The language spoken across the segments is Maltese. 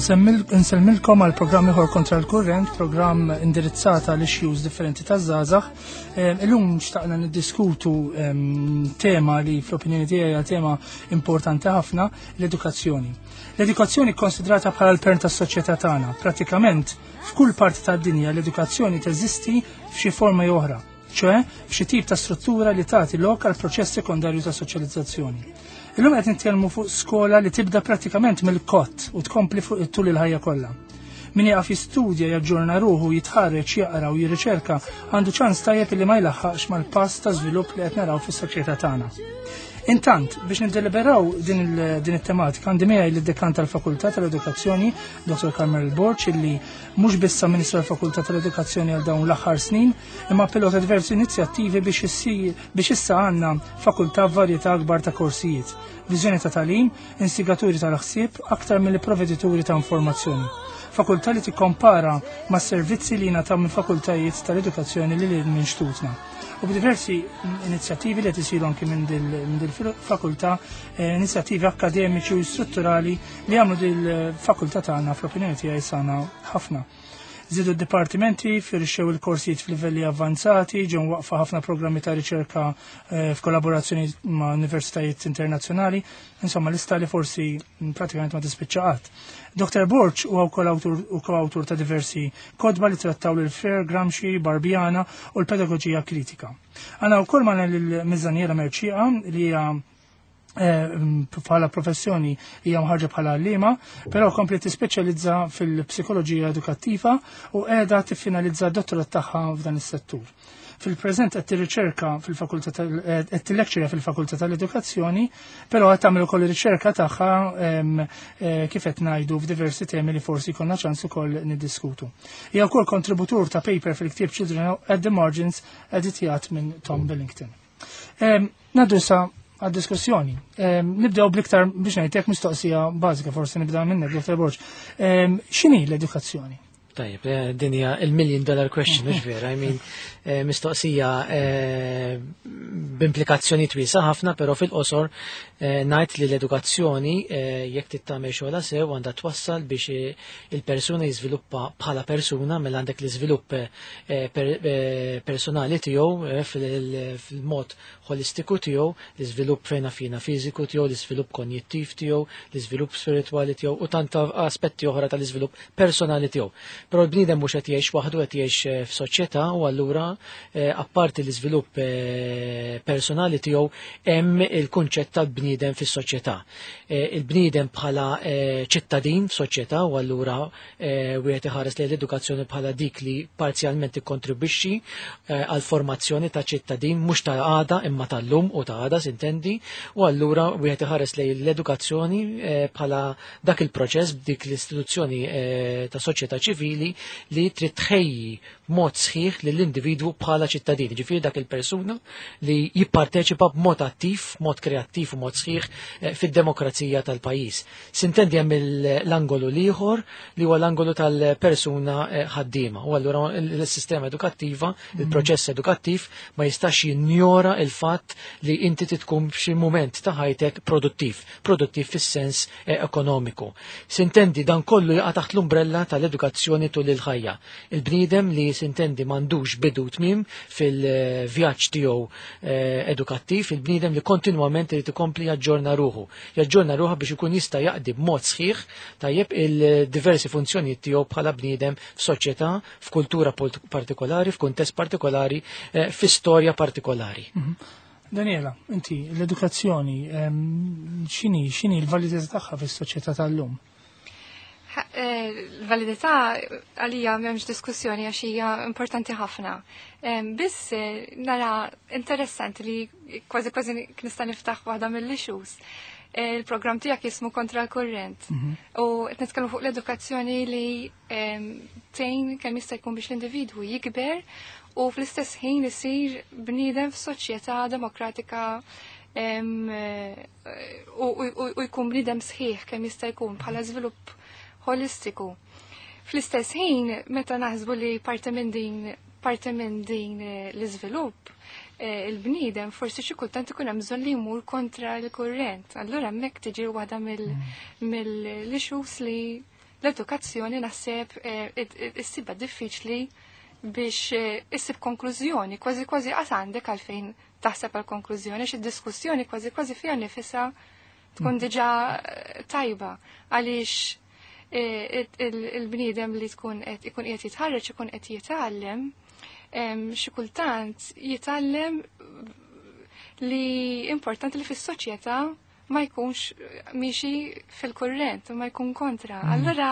Nsemmilkom għal programm ieħor kontra l-kurrent, programm indirizzata għal issues differenti taż-żgħażagħ. Illum xtaqna niddiskutu tema li fl-opinjoni tiegħi hija tema importanti ħafna, l-edukazzjoni. L-edukazzjoni konsidrata bħala l-pern tas-soċjetà tagħna. Pratikament f'kull parti tad-dinja l-edukazzjoni teżisti f'xi forma jew oħra, ċoe f'xi tip ta' struttura li tagħti lok għal proċess sekondarju ta' soċjalizzazzjoni. Illum qed nitkellmu fuq skola li tibda pratikament mill-kott u tkompli fuq tul il-ħajja kollha. Min jaqaf jistudja, jaġġorna ruħu, jitħarreġ, jaqra u jirriċerka għandu ċans tajjeb li ma jlaħħaqx mal-pass ta' żvilupp li qed naraw fis-soċjetà tagħna. Intant, biex niddeliberaw din it-tematika, għandi miegħi lid-dekan tal-Fakultà tal-Edukazzjoni, Dr. Carmel Borg, illi mhux biss amministra l-Fakultà tal-Edukazzjoni għal dawn l-aħħar snin, imma pilota diversi inizjattivi biex issa għandna fakultà b'varjetà akbar ta' korsijiet, viżjoni ta' tagħlim, instigaturi tal-ħsieb aktar milli provvedituri ta' informazzjoni. Fakultà li tikkompara ma' servizzi li jingħataw minn fakultajiet tal-edukazzjoni li lil minn xtutna. U b'diversi inizjattivi li qed isiru anki minn dil-fakultà, inizjattivi akkademiċi u strutturali li għamlu dil-fakultà tagħna fl-opinjoni tiegħi sana ħafna. Żiedu d-dipartimenti, firxew il-korsijiet f'livelli avvanzati, ġew waqfa ħafna programmi ta' riċerka f'kollaborazzjoni ma' universitajiet internazzjonali, insomma lista li forsi pratikament ma tispiċċa qatt. Dr. Borg huwa wkoll awtur u koawtur ta' diversi kotba li trattaw lil Freire, Gramsci, Barbiana u l-pedagoġija kritika. Għandna wkoll magħna lil Miss Daniela Mercieca li hija bħala professjoni hija mħarġa bħala għalliema, però kompli tispeċjalizza fil-psikoloġija edukattiva u qiegħda tiffinalizza d-dottorat tagħha f'dan is-settur. Fil-preżent qed tirriċerka fil-fakultà qed tillectura fil-Fakultà tal-Edukazzjoni, però qed tagħmel ukoll ir-riċerka tagħha kif qed ngħidu f'diversi temi li forsi jkollna ċans ukoll niddiskutu. Hija wkoll kontributur ta' paper fil-ktieb Children at the Margins editjat minn Tom Billington. Ngħaddu issa għad-diskussjoni. Nibdew bl-iktar biex ngħidlek mistoqsija bażika, forsi nibda minnek, Dr. Borg. X'inhi l-edukazzjoni? Tajjeb, din hija il-million dollar question, mhux vera, I mean, mistoqsija b'implikazzjoni wiesgħa ħafna, però fil-qosor ngħid li l-edukazzjoni jekk tittamel xogħla sew għandha twassal biex il-persuna jiżviluppa bħala persuna, mela għandek l-iżvilupp personali tiegħu fil-mod holistiku tiegħu, l-iżvilupp fejna fina fiżiku tiegħu, l-iżvilupp konjittiv tiegħu, l-iżvilupp spiritwali tiegħu u tant aspetti oħra tal-iżvilupp personali tiegħu. Però l-bniedem mhux qed jgħix waħdu, qed jgħix f'soċjetà u allura apparti l-iżvilupp personali tiegħu hemm il-kunċett tal-bniedem fis-soċjetà. Il-bniedem bħala ċittadin f'soċjetà u allura wieħed iħares lejn l-edukazzjoni bħala dik li parzjalment tikkontribwixxi għal formazzjoni ta' ċittadin mhux ta' għada imma tal-lum u ta' għada sintendi, u allura wieħed iħares lejn l-edukazzjoni bħala dak il-proċess b'dik l-istituzzjoni ta' soċjetà ċivili li trid tħejji mod sħiħ lill-individwu bħala ċittadin, ġifieri dak il-persuna li jipparteċipa b'mod attiv, mod kreattiv u mod sħiħ fid-demokrazija tal-pajjiż. Sintendi hemm l-angolu l-ieħor li huwa l-angolu tal-persuna ħaddiema. U allura l-sistema edukattiva, il-proċess edukattiv ma jistax jinjora il-fatt li inti tkun f'xi mument ta' ħajtek produttiv, produttiv fis-sens ekonomiku. Sintendi dan kollu jaqa' taħt l-umbrella tal-edukazzjoni tul il-ħajja. Il-bniedem li sintendi m'għandux bidu tmiem fil-vjaġġ tiegħu edukattiv, il-bniedem li kontinwament irid ikompli jaġġorna ruħu. Jaġġorna ruħu biex ikun jista' jaqdi b'mod sħiħ tajjeb il-diversi funzjonijiet tiegħu bħala bniedem f'soċjetà, f'kultura partikolari, f'kuntest partikolari, f'istorja partikolari. Daniela, inti l-edukazzjoni, x'inhi l-validità tagħha fis-soċjetà tal-lum? L-validità għalija m'hemmx diskussjoni għax hija importanti ħafna. Biss nara interessanti li kważi kważi nista' niftaħ waħda mill-issues. Il-programm tiegħek jismu Kontra l-Kurrent. U qed nitkellmu fuq l-edukazzjoni li tgħin kemm jista' jkun biex l-individwu jikber u fl-istess ħin isir bniedem f'soċjetà demokratika u jkun bniedem sħiħ kemm jista' jkun bħala żvilupp holistiku. Fl-istess ħin, meta naħsbu li parti minn din l-iżvilupp, il-bniedem forsi xi kultant ikun hemm bżonn li jmur kontra l-kurrent. Allura hemmhekk tiġi waħda mill-issues li l-edukazzjoni naħseb issibha diffiċli biex issib konklużjoni, kważi kważi qas għandek għalfejn taħseb għal konklużjoni, xi diskussjoni kważi kważi fiha nifisha tkun diġà tajba għaliex il-bniedem li tkun qed ikun qiegħed jitħarreġ ikun qed jitgħallem xi kultant jitgħallem li importanti li fis-soċjetà ma jkunx miexi fil-kurrent, ma jkun kontra. Allura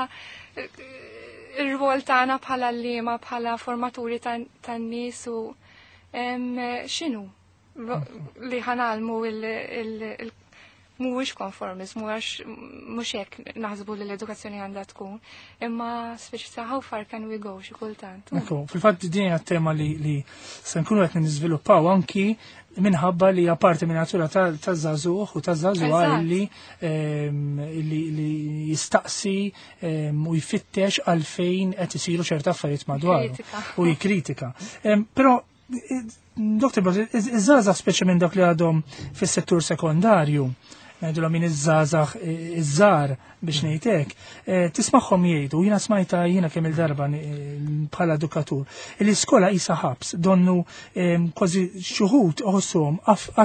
ir-rwol tagħna bħala liema bħala formaturi tan-nies u x'inhu li ħanalmu mhuwiex konformiżmu għax mhux hekk naħsbu li l-edukazzjoni għandha tkun, imma speċi ta' how far can we go xi kultant. Ekku, fil-fatt din hija tema li se nkunu qed niżviluppaw anki minħabba li hija parti minn natura taż-żagħżugħ u taż-żagħżugħa li jistaqsi u jfittex għalfejn qed isiru ċerta affarijiet madwaru u jikkritika. Però Dr. Bros, iż-żgħażagħ speċi minn dak li għadhom fis-settur sekondarju, ngħidulhom min iż-żgħażagħ iż-żgħar biex ngħidlek, tismagħhom jgħidu, jiena smajta jiena kemm il-darba bħala edukatur, l-iskola qisha ħabs, donnu kważi xuħud iħossuhom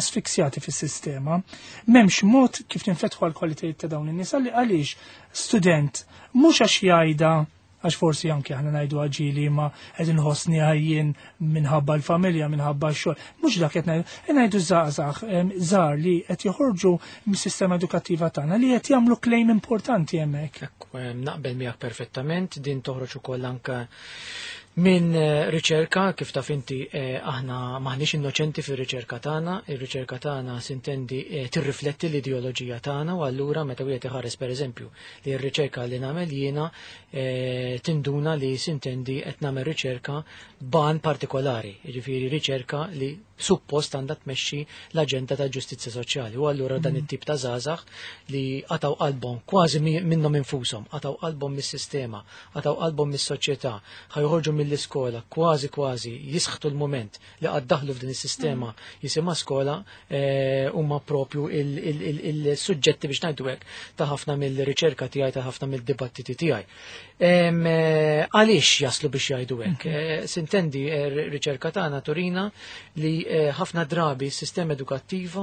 asfiksjati fis-sistema, m'hemmx mod kif ninfetħu għal kwalitajiet ta' dawn in-nies għaliex student mhux għax jgħidha għax forsi anke aħna ngħidu għaġili ma qed inħossni għajjien minħabba l-familja, minħabba x-xogħol. Mhux dak qed ngħidu, qed ngħidu żgħażagħ żgħar li qed joħorġu mis-sistema edukattiva tagħna li qed jagħmlu claim importanti hemmhekk. Ekku, naqbel miegħek perfettament, din toħroġ ukoll anke minn riċerka, kif taf inti aħna maħniex innoċenti fir-riċerka tagħna, ir-riċerka tagħna sintendi tirrifletti l-ideoloġija tagħna u allura meta wieħed iħares pereżempju li r-riċerka li nagħmel jiena tinduna li sintendi qed nagħmel riċerka ban partikolari, jiġifieri riċerka li suppost għandha tmexxi l-aġenda ta' ġustizzja soċjali. U allura dan it-tip ta' żgħażagħ li qataw qalbhom kważi minnhom infushom, qataw qalbhom mis-sistema, qataw qalbhom mis-soċjetà, ħajħorġu mill-iskola kważi kważi jisħtu l-moment li qed daħlu f'din is-sistema jisimha skola, huma propju il-suġġetti biex ngħidu hekk ta' ħafna mill-riċerka tiegħi, ta' ħafna mill-dibattiti tiegħi. Għaliex jaslu biex jgħidu hekk? Sintendi riċerka tagħna turina li ħafna drabi s-sistema edukattiva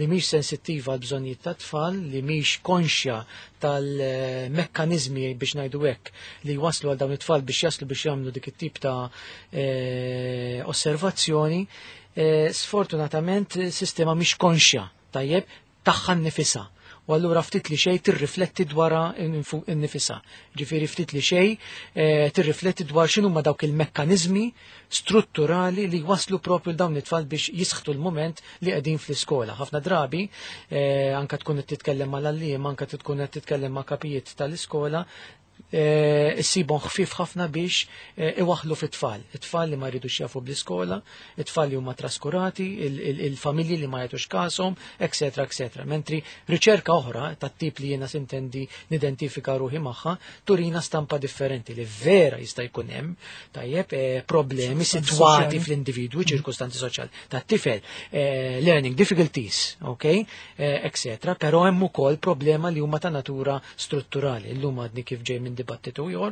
li mhix sensittiva għal bżonnijiet tat-tfal, li mhix konxja tal-mekkanizmi biex ngħidu hekk li waslu għal dawn it-tfal biex jaslu biex jagħmlu dik it-tip ta' osservazzjoni, sfortunatament s-sistema mhix konxja tajjeb tagħha nnifisha. U allura ftit li xejn tirrifletti dwar innifisha. Ġifieri ftit li xejn tirrifletti dwar x'inhuma dawk il-mekkaniżmi strutturali li waslu propju dawn it-tfal biex jisħtu l-moment li qegħdin fl-iskola. Ħafna drabi anka tkun qed titkellem mal-għalliem, anka tkun qed titkellem ma' kapijiet tal-iskola, issibhom ħfief ħafna biex iwaħħlu fit-tfal. It-tfal li ma jridux jafu bl-iskola, it-tfal li huma traskurati, il-familji li ma jagħtux kashom, eccetera, eccetera. Mentri riċerka oħra tat-tip li jiena sintendi nidentifika ruħi magħha turina stampa differenti li vera jista' jkun hemm tajjeb problemi Soċjali. sitwati fl-individwi, ċirkustanzi soċjali tat-tifel, learning difficulties, ok, eccetera, però hemm ukoll problema li huma ta' natura strutturali. Illum għadni kif ġej minn dibattitu ieħor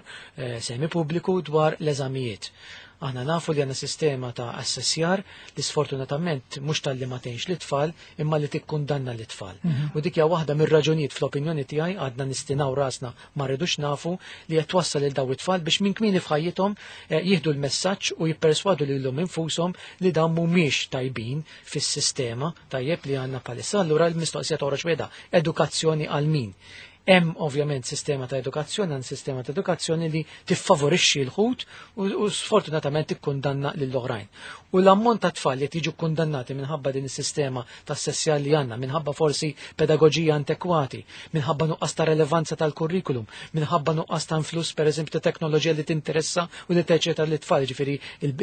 semi pubbliku dwar l-eżamijiet. Aħna nafu li għandna sistema ta' assessjar li sfortunatament mhux talli ma tgħinx lit-tfal imma li tikkundanna lit-tfal. U dik hija waħda mir-raġunijiet fl-opinjoni tiegħi għadna nistinaw rasna ma rridux nafu li qed twassal lil daw it-tfal biex minn kmieni f'ħajjithom jieħdu l-messaġġ u jipperswadu lilhom infushom li dawn mhumiex tajbin fis-sistema tajjeb li għandna bħalissa. Allura l-mistoqsija toħroġ weda, edukazzjoni għal min? Hemm ovvjament sistema ta' edukazzjoni, hemm sistema ta' edukazzjoni li tiffavorixxi l-ħut u sfortunatament tikkundanna lill-oħrajn. U l-ammont ta' tfal li tiġu kundannati minħabba din is-sistema ta' sessjal li għandna, minħabba forsi pedagoġija antekwati, minħabba nuqqas ta' relevanza tal-kurrikulum, minħabba nuqqas ta' influss pereżempju ta' teknoloġija li tinteressa u li teċeta lit-tfal, ġifieri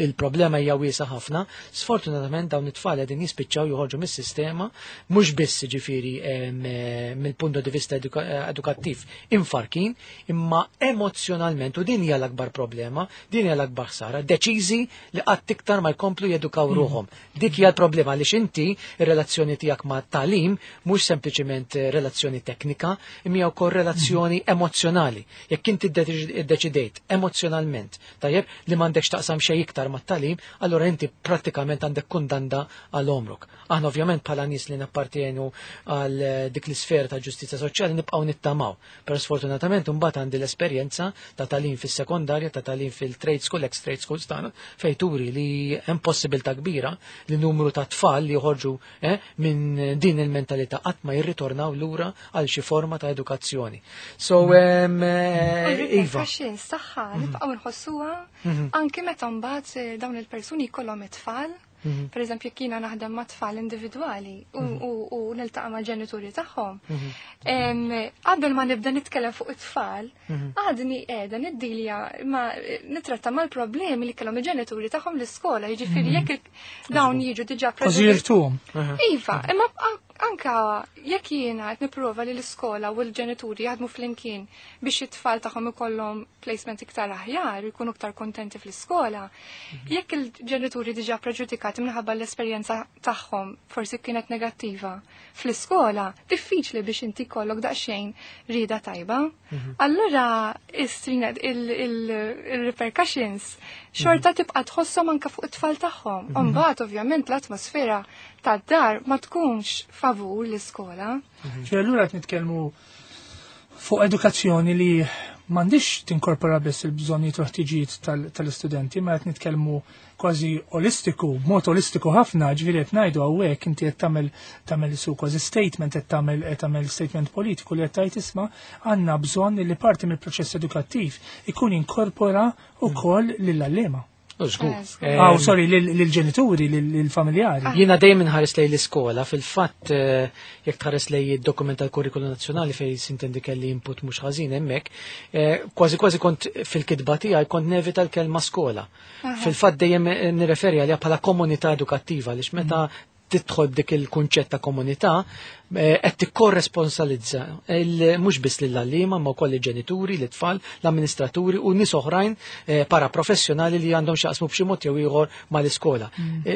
il-problema hija wiesa ħafna. Sfortunatament dawn it-tfal qegħdin jispiċċaw joħorġu mis-sistema, mhux biss ġifieri mill-punto di vista edukattiv imfarkin, imma emozjonalment, u din hija l-akbar problema, din hija l-akbar ħsara, deċiżi li qatt iktar ma jkomplu jedukaw ruħhom. Dik hija l-problema għaliex inti ir-relazzjoni tiegħek ma' tagħlim mhux sempliċement relazzjoni teknika, imma hija wkoll relazzjoni emozjonali. Jekk inti ddeċidejt emozjonalment, tajjeb, li m'għandekx taqsam xejn iktar mat-tagħlim, allura inti prattikament għandek kundanna għal għomrok. Aħna ovvjament bħala nies li nappartienu għal dik l-isfera ta' ġustizzja soċjali nibqgħu nittamaw. Però sfortunatament imbagħad għandi l-esperjenza ta' tagħlim fis-sekondarja, ta' tagħlim fil-trade school, ex-trade schools tagħna, fejn turi li hemm possibilità kbira li numru ta' tfal li joħorġu minn din il-mentalità qatt ma jirritornaw lura għal xi forma ta' edukazzjoni. So, Iva. Repercussions tagħha nibqgħu nħossuha anki meta mbagħad dawn il-persuni jkollhom it-tfal. Per eżempju, jekk jiena naħdem ma' tfal individwali u niltaqa' mal-ġenituri tagħhom. Qabel ma nibda nitkellem fuq it-tfal, għadni qiegħda niddilja ma nitratta mal-problemi li kellhom il-ġenituri tagħhom l-iskola, jiġifieri jekk dawn jiġu diġà Kważi jirtuhom. Iva, imma anka jekk jiena qed nipprova li l-iskola u l-ġenituri jaħdmu flimkien biex it-tfal tagħhom ikollhom placement iktar aħjar u jkunu iktar kontenti fl-iskola, jekk il-ġenituri diġà preġudikati minħabba l-esperjenza tagħhom forsi kienet negattiva fl-iskola, diffiċli biex inti jkollok daqsxejn rieda tajba. Allura istrina il-repercussions xorta tibqa' tħosshom anka fuq it-tfal tagħhom. Mbagħad ovvjament l-atmosfera tad-dar ma tkunx favur l-iskola. Ċe allura qed nitkellmu fuq edukazzjoni li m'għandix tinkorpora biss il-bżonnijiet u ħtiġijiet tal-istudenti, ma qed nitkellmu kważi olistiku, b'mod olistiku ħafna, ġifieri qed ngħidu hawnhekk inti qed tagħmel su kważi statement, qed tagħmel statement politiku li qed tgħid isma' għandna bżonn li parti mill-proċess edukattiv ikun inkorpora wkoll lill-għalliema. Żgur. Aw, sorry, lill-ġenituri, lill-familjari. Jiena dejjem inħares lejn l-iskola, fil-fatt jekk tħares lejn id-dokument tal-kurrikulu nazzjonali fejn sintendi kelli input mhux ħażin hemmhekk, kważi kważi kont fil-kitba tiegħi kont nevita l-kelma skola. Fil-fatt dejjem nirreferi għaliha bħala komunità edukattiva għaliex meta tidħol dik il-kunċett ta' komunità, qed tikkorresponsalizza mhux biss lill-għalliema ma wkoll il-ġenituri, l-tfal, l-amministraturi u nies oħrajn paraprofessjonali li għandhom x'jaqsmu b'xi mod jew ieħor mal-iskola.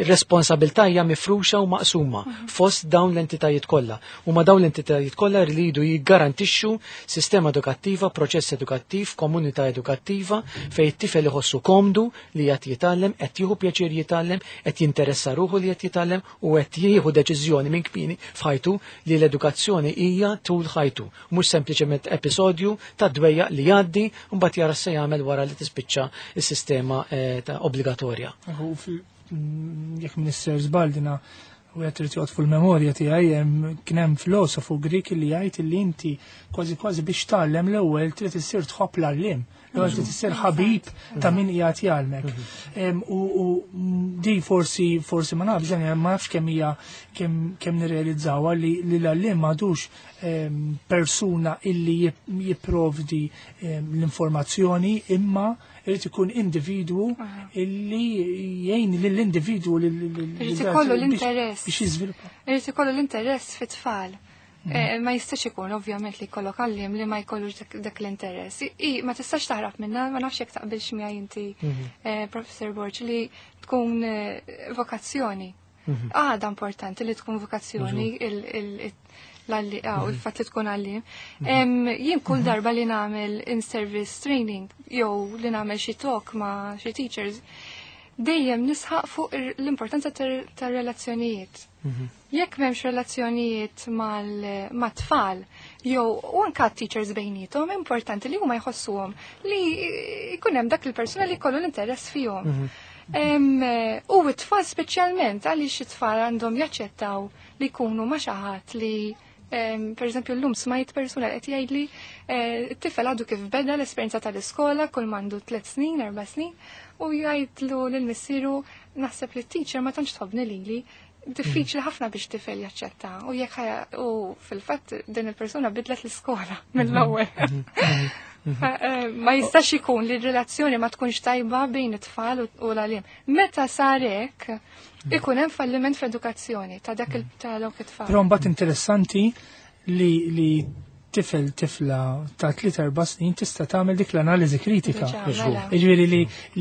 Responsabilità hija mifruxa u maqsuma fost dawn l-entitajiet kollha. U ma dawn l-entitajiet kollha rridu jiggarantixxu sistema edukattiva, proċess edukattiv, komunità edukattiva fejn it-tifel iħossu komdu li qed jitgħallem, qed jieħu pjaċir jitgħallem, qed jinteressa ruħu li qed jitgħallem u qed jieħu deċiżjoni minn kmieni f'ħajtu li l-edukazzjoni hija tul ħajtu, mhux sempliċement episodju ta' dwejja li jgħaddi u mbagħad jara se jagħmel wara li tispiċċa s-sistema ta' obbligatorja. U jekk Minister Zbaldina u qed irid joqgħod fil-memorja tiegħi kien hemm filosofu Grik li jgħid li inti kważi kważi biex tgħallem l-ewwel trid issir tħobb l-għalliem, l-ewwel trid issir ħabib ta' min qiegħed jgħallmek. U di forsi ma nafx, ma nafx kemm hija kemm nirrealizzawha li l-għalliem m'għadux persuna illi jipprovdi l-informazzjoni, imma irid ikun individwu illi jgħin lill-individwu Irid ikollu l-interess. biex jiżviluppa. Irid ikollu l-interess fit-tfal. Ma jistax ikun ovvjament li jkollok għalliem li ma jkollux dak l-interess. Ma tistax taħrab minna, ma nafx jekk taqbilx miegħi inti, Professor Borg, li tkun vokazzjoni. Għada importanti li tkun vokazzjoni u l-fatt li tkun għalliem. Jien kull darba li nagħmel in-service training jew li nagħmel xi talk ma' xi teachers, dejjem nisħaq fuq l-importanza tar-relazzjonijiet. Jekk m'hemmx relazzjonijiet mat-tfal, jew u anka teachers bejniethom, importanti li huma jħossuhom li jkun hemm dak il-persuna li jkollu l-interess fihom. U t-tfal speċjalment għaliex it-tfal għandhom jaċċettaw li jkunu ma' xi ħadd li per eżempju llum smajt persuna li qed jgħidli t-tifel għadu kif beda l-esperjenza tal-iskola kull m'għandu 3 snin, 4 snin, u jgħidlu lil missieru naħseb li t-teacher ma tantx tħobbni lili, diffiċli ħafna biex tifel jaċċetta. U jekk u fil-fatt din il-persuna bidlet l-iskola mill-ewwel. Ma jistax ikun li r-relazzjoni ma tkunx tajba bejn it-tfal u l-għaliem. Meta sar hekk, ikun hemm falliment fl-edukazzjoni ta' dak ta' dawk it-tfal. Però mbagħad interessanti li tifel tifla ta' 3-4 snin tista' tagħmel dik l-analiżi kritika. Jiġifieri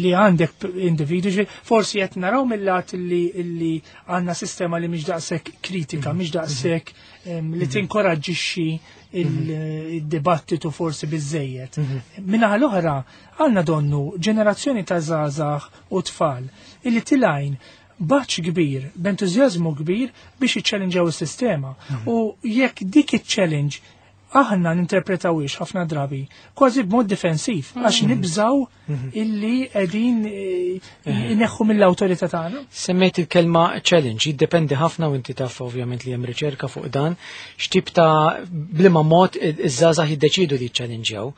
li għandek individu, forsi qed naraw mill-lat li għandna sistema li mhix daqshekk kritika, mhix daqshekk li tinkoraġġixxi il-dibattitu forsi biżejjed. Minnaħa l-oħra għandna donnu ġenerazzjoni ta' żgħażagħ u tfal illi tilajn baċ kbir, b'entużjażmu kbir biex jiċċellinġaw is-sistema. U jekk dik iċ-challenge aħna ninterpretawix ħafna drabi kważi b'mod difensiv għax nibżaw illi qegħdin ineħħu mill-awtorità tagħna. Semmejt il-kelma challenge, jiddependi ħafna u inti taf ovvjament li hemm riċerka fuq dan, x'tip ta' bliema mod iż-żgħażagħ jiddeċidu li jiċċellinġjaw,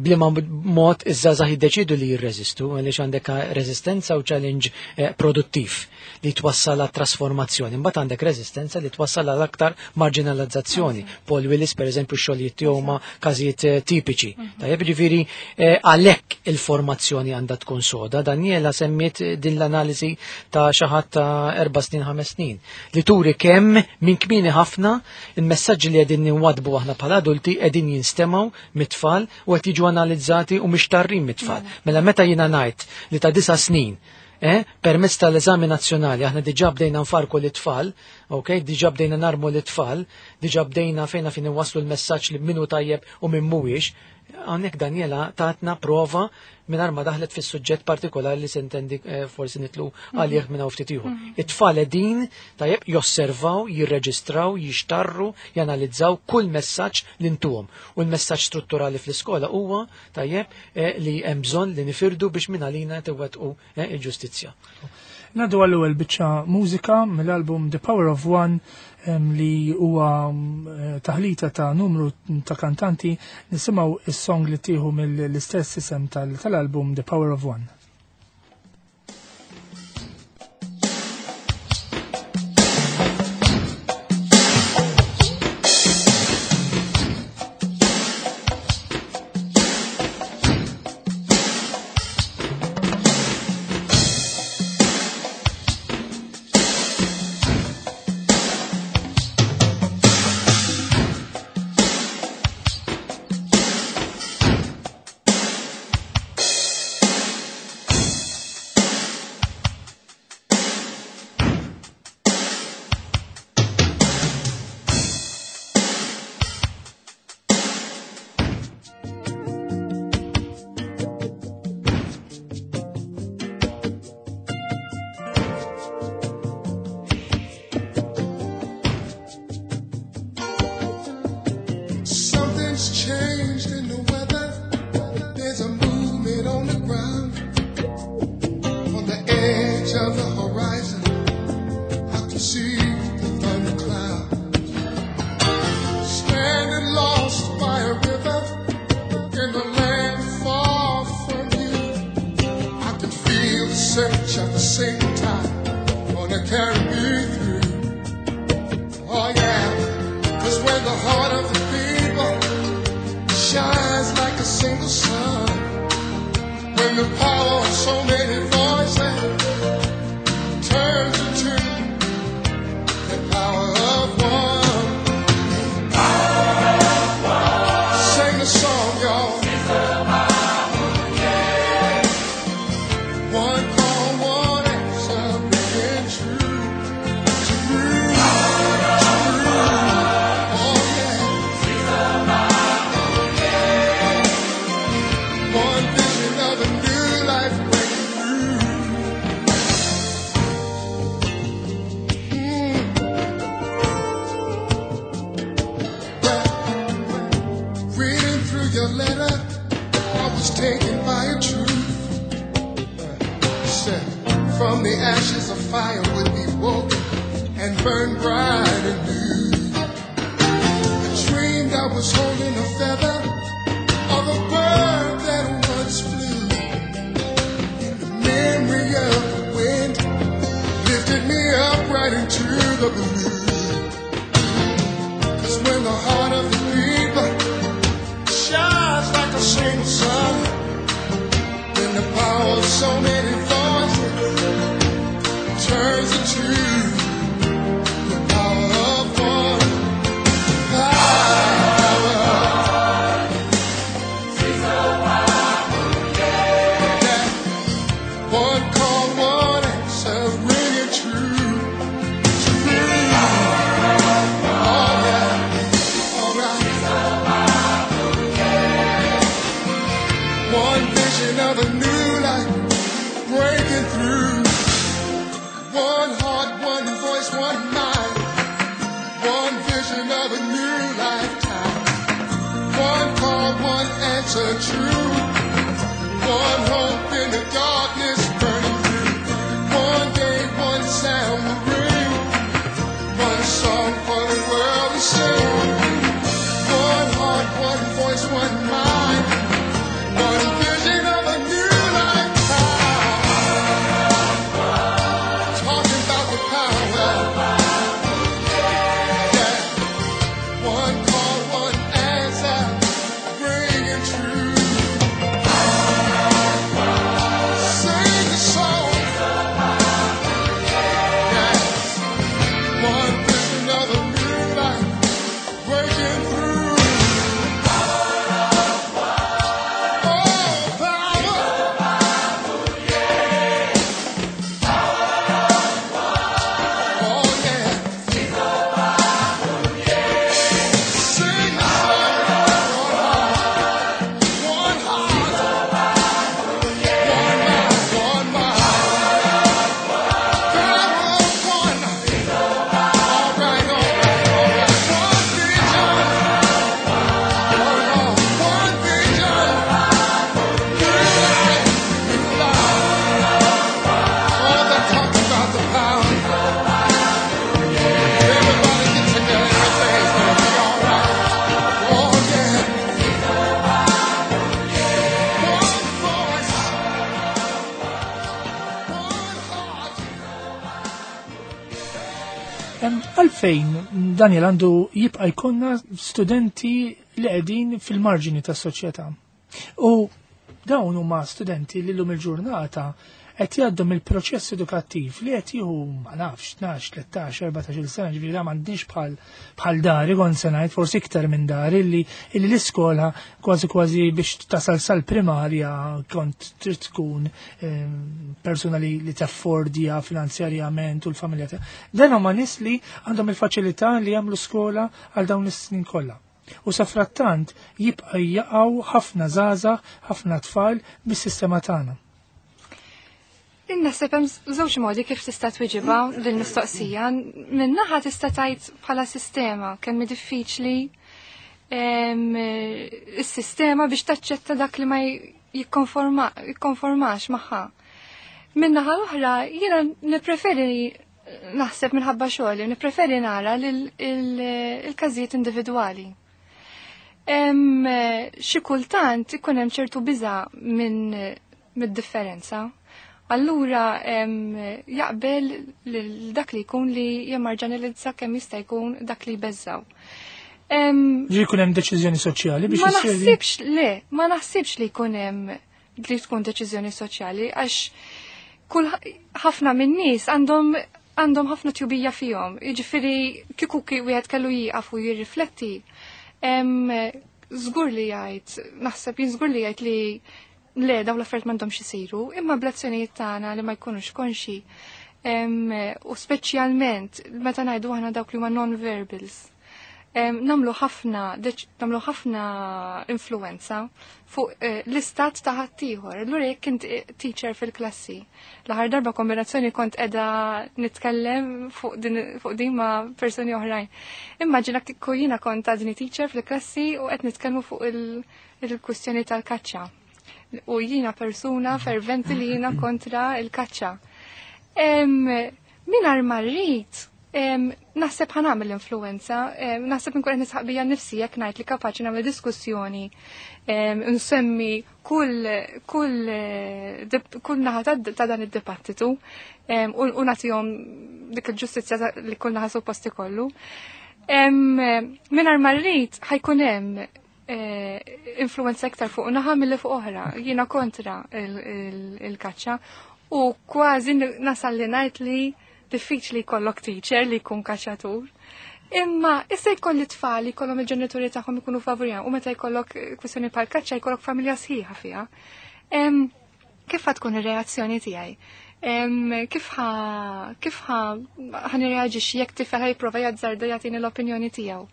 bliema mod iż-żgħażagħ jiddeċidu li jirreżistu, għaliex għandek reżistenza u challenge produttiv li twassal għat trasformazzjoni. Mbagħad għandek reżistenza li twassal għal aktar marginalizzazzjoni. Paul Willis, per eżempju, xogħlijiet tiegħu huma każijiet tipiċi. Tajjeb, ġifieri għalhekk il-formazzjoni għandha tkun soda. Daniela semmiet din l-analiżi ta' xi ħadd ta' 4 snin, 5 snin, li turi kemm minn kmieni ħafna il-messaġġi li qegħdin ninwadbu aħna bħala adulti qegħdin jinstemgħu mit-tfal u qed jiġu analizzati u mixtarrin mit-tfal. Mela meta jiena ngħid li ta' 9 snin permezz tal-eżami nazzjonali aħna diġà bdejna nfarku l-tfal, ok, diġà bdejna narmu l-tfal, diġà bdejna fejna fin iwasslu l-messaġġ li minnu tajjeb u min mhuwiex. Hawnhekk Daniela tatna prova mingħajr ma daħlet fis-suġġett partikolari li sentendi forsi nitlu għalih minn hawn ftit ieħor. It-tfal qegħdin tajjeb josservaw, jirreġistraw, jixtarru, janalizzaw kull messaġġ li ntuhom. U l-messaġġ strutturali fl-iskola huwa tajjeb li hemm bżonn li nifirdu biex minn għalina tiwettqu il-ġustizzja. Nadu għall-ewwel biċċa mużika mill-album The Power of One li huwa taħlita ta' numru ta' kantanti, nisimgħu is-song li tieħu mill-istess isem tal-album The Power of One. Turns into the power of one. Power. Vision of a new life breaking through. One heart, one voice, one mind. One vision of a new lifetime. One call, one answer true. One hope in the darkness burning through. One day, one sound will ring. One song for the world to sing. One heart, one voice, one mind. One vision of a new lifetime. Talking about the power. Yeah. One call, one answer, bringing truth. Sing the song. Yes. One vision of a new life breaking through. Oh, power. Oh, yeah. Sing the song. One heart, one mind, one mind. Power of one. All right, all right, all right. One vision. One heart, one vision. New life, new life. All that talk about the power. Everybody get together, everything's gonna be all right. Oh yeah. One voice, one heart. Għalfejn, Daniel, għandu jibqa' jkollna studenti li qegħdin fil-marġini tas-soċjetà. U dawn huma studenti li llum il-ġurnata qed jgħaddu mill-proċess edukattiv li qed jieħu, ma nafx, 12, 13, 14 sena, ġifieri da m'għandniex bħal dari, kont se ngħid, forsi iktar minn dari, illi l-iskola kważi kważi biex tasal sal-primarja kont trid tkun persuna li taffordja finanzjarjament u l-familja tiegħek. Dan huma nies li għandhom il-faċilità li jagħmlu skola għal dawn is-snin kollha. U safrattant jibqa' jaqgħu ħafna żgħażagħ, ħafna tfal mis-sistema tagħna. Naħseb hemm żewġ modi kif tista' twiġibha din mistoqsija. Min-naħa tista' tgħid bħala sistema kemm hi diffiċli is-sistema biex taċċetta dak li ma jikkonformax magħha. Min-naħa l-oħra jiena nippreferi naħseb minħabba xogħli, nippreferi nara il-każijiet individwali. Xi kultant ikun hemm ċertu biża' minn mid-differenza. Allura jaqbel lil dak li jkun li jemmarġanalizza kemm jista' jkun dak li jbeżżaw. Ġi jkun hemm deċiżjoni soċjali biex Ma issir naħsibx le, ma naħsibx li jkun hemm li tkun deċiżjoni soċjali, għax kull ħafna minn nies għandhom ħafna tjubija fihom. Jiġifieri kieku wieħed kellu jieqaf u jirrifletti, żgur li jgħid, naħseb jien żgur li jgħid li le, dawn l-affarijiet m'għandhomx isiru, imma bl-azzjonijiet tagħna li ma jkunux konxi. U speċjalment meta ngħidu aħna dawk li huma non-verbals. Namlu ħafna influenza fuq l-istat ta' ħaddieħor. Allura jekk int teacher fil-klassi, l-aħħar darba kombinazzjoni kont qiegħda nitkellem fuq din ma' persuni oħrajn. Immaġina kieku jiena kont għadni teacher fil-klassi u qed nitkellmu fuq il-kwistjoni tal-kaċċa. U jiena persuna ferventi li jiena kontra il-kaċċa. Mingħajr ma rrid, naħseb ħa nagħmel influenza, naħseb nkun qed nisħaq bija nnifsi jekk ngħid li kapaċi nagħmel diskussjoni, nsemmi kull naħa ta' dan id-dibattitu u nagħtihom dik il-ġustizzja li kull naħa suppost ikollu. Mingħajr ma rrid ħa jkun hemm influenza iktar fuq naħa milli fuq oħra. Jiena kontra il-kaċċa u kważi nasal li ngħid li diffiċli jkollok teacher li jkun kaċċatur. Imma issa jkolli tfal jkollhom il-ġenituri tagħhom ikunu favorija u meta jkollok kwistjoni bħal kaċċa jkollok familja sħiħa fiha. Kif ħa tkun ir-reazzjoni tiegħi? Kif ħa nirreaġixxi jekk tifel ħa jipprova jazzarda jagħtini l-opinjoni tiegħu?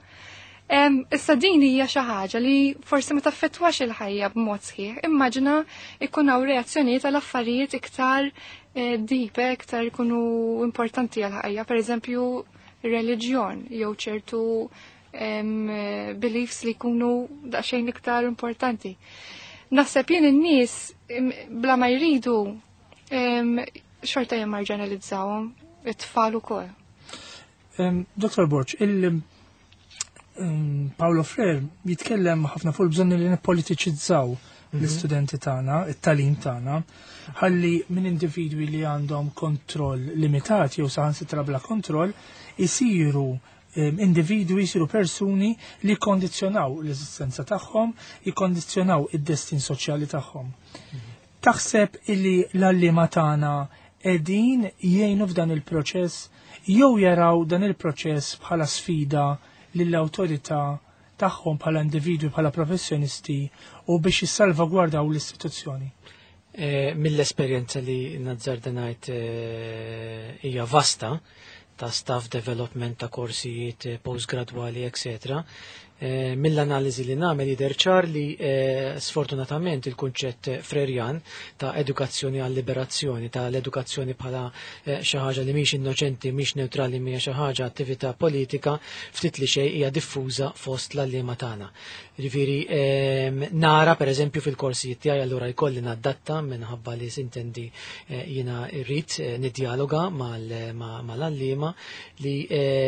Issa din hija xi ħaġa li forsi ma taffettwax il-ħajja b'mod sħiħ. Immaġina ikun hawn reazzjonijiet għal affarijiet iktar deep, iktar ikunu importanti għal ħajja, pereżempju reliġjon jew ċertu beliefs li jkunu daqsxejn iktar importanti. Naħseb jien in-nies bla ma jridu xorta jimmarġinalizzawhom it-tfal ukoll. Dr. Borg, Paolo Freire jitkellem ħafna fuq il-bżonn li nippolitiċizzaw l-istudenti tagħna, it-tagħlim tagħna, ħalli minn individwi li għandhom kontroll limitat jew saħansitra bla kontroll isiru individwi, jisiru persuni li jikkondizzjonaw l-eżistenza tagħhom, jikkondizzjonaw id-destin soċjali tagħhom. Taħseb illi l-għalliema tagħna qegħdin jgħinu f'dan il-proċess jew jaraw dan il-proċess bħala sfida lill-awtorità tagħhom bħala individwi, bħala professjonisti u biex jissalvagwardaw l-istituzzjoni? Mill-esperjenza li nazzarda ngħid hija vasta ta' staff development, ta' korsijiet postgradwali, etc. Mill-analiżi li nagħmel jidher ċar li sfortunatament il-kunċett Frerjan ta' edukazzjoni għal liberazzjoni, ta' l-edukazzjoni bħala xi ħaġa li mhix innoċenti, mhix neutrali, mhija xi ħaġa attività politika, ftit li xejn hija diffuża fost l-għalliema tagħna. Ġifieri nara pereżempju fil-korsijiet tiegħi allura jkolli nadatta minħabba li sintendi jiena rrid nidjaloga mal-għalliema li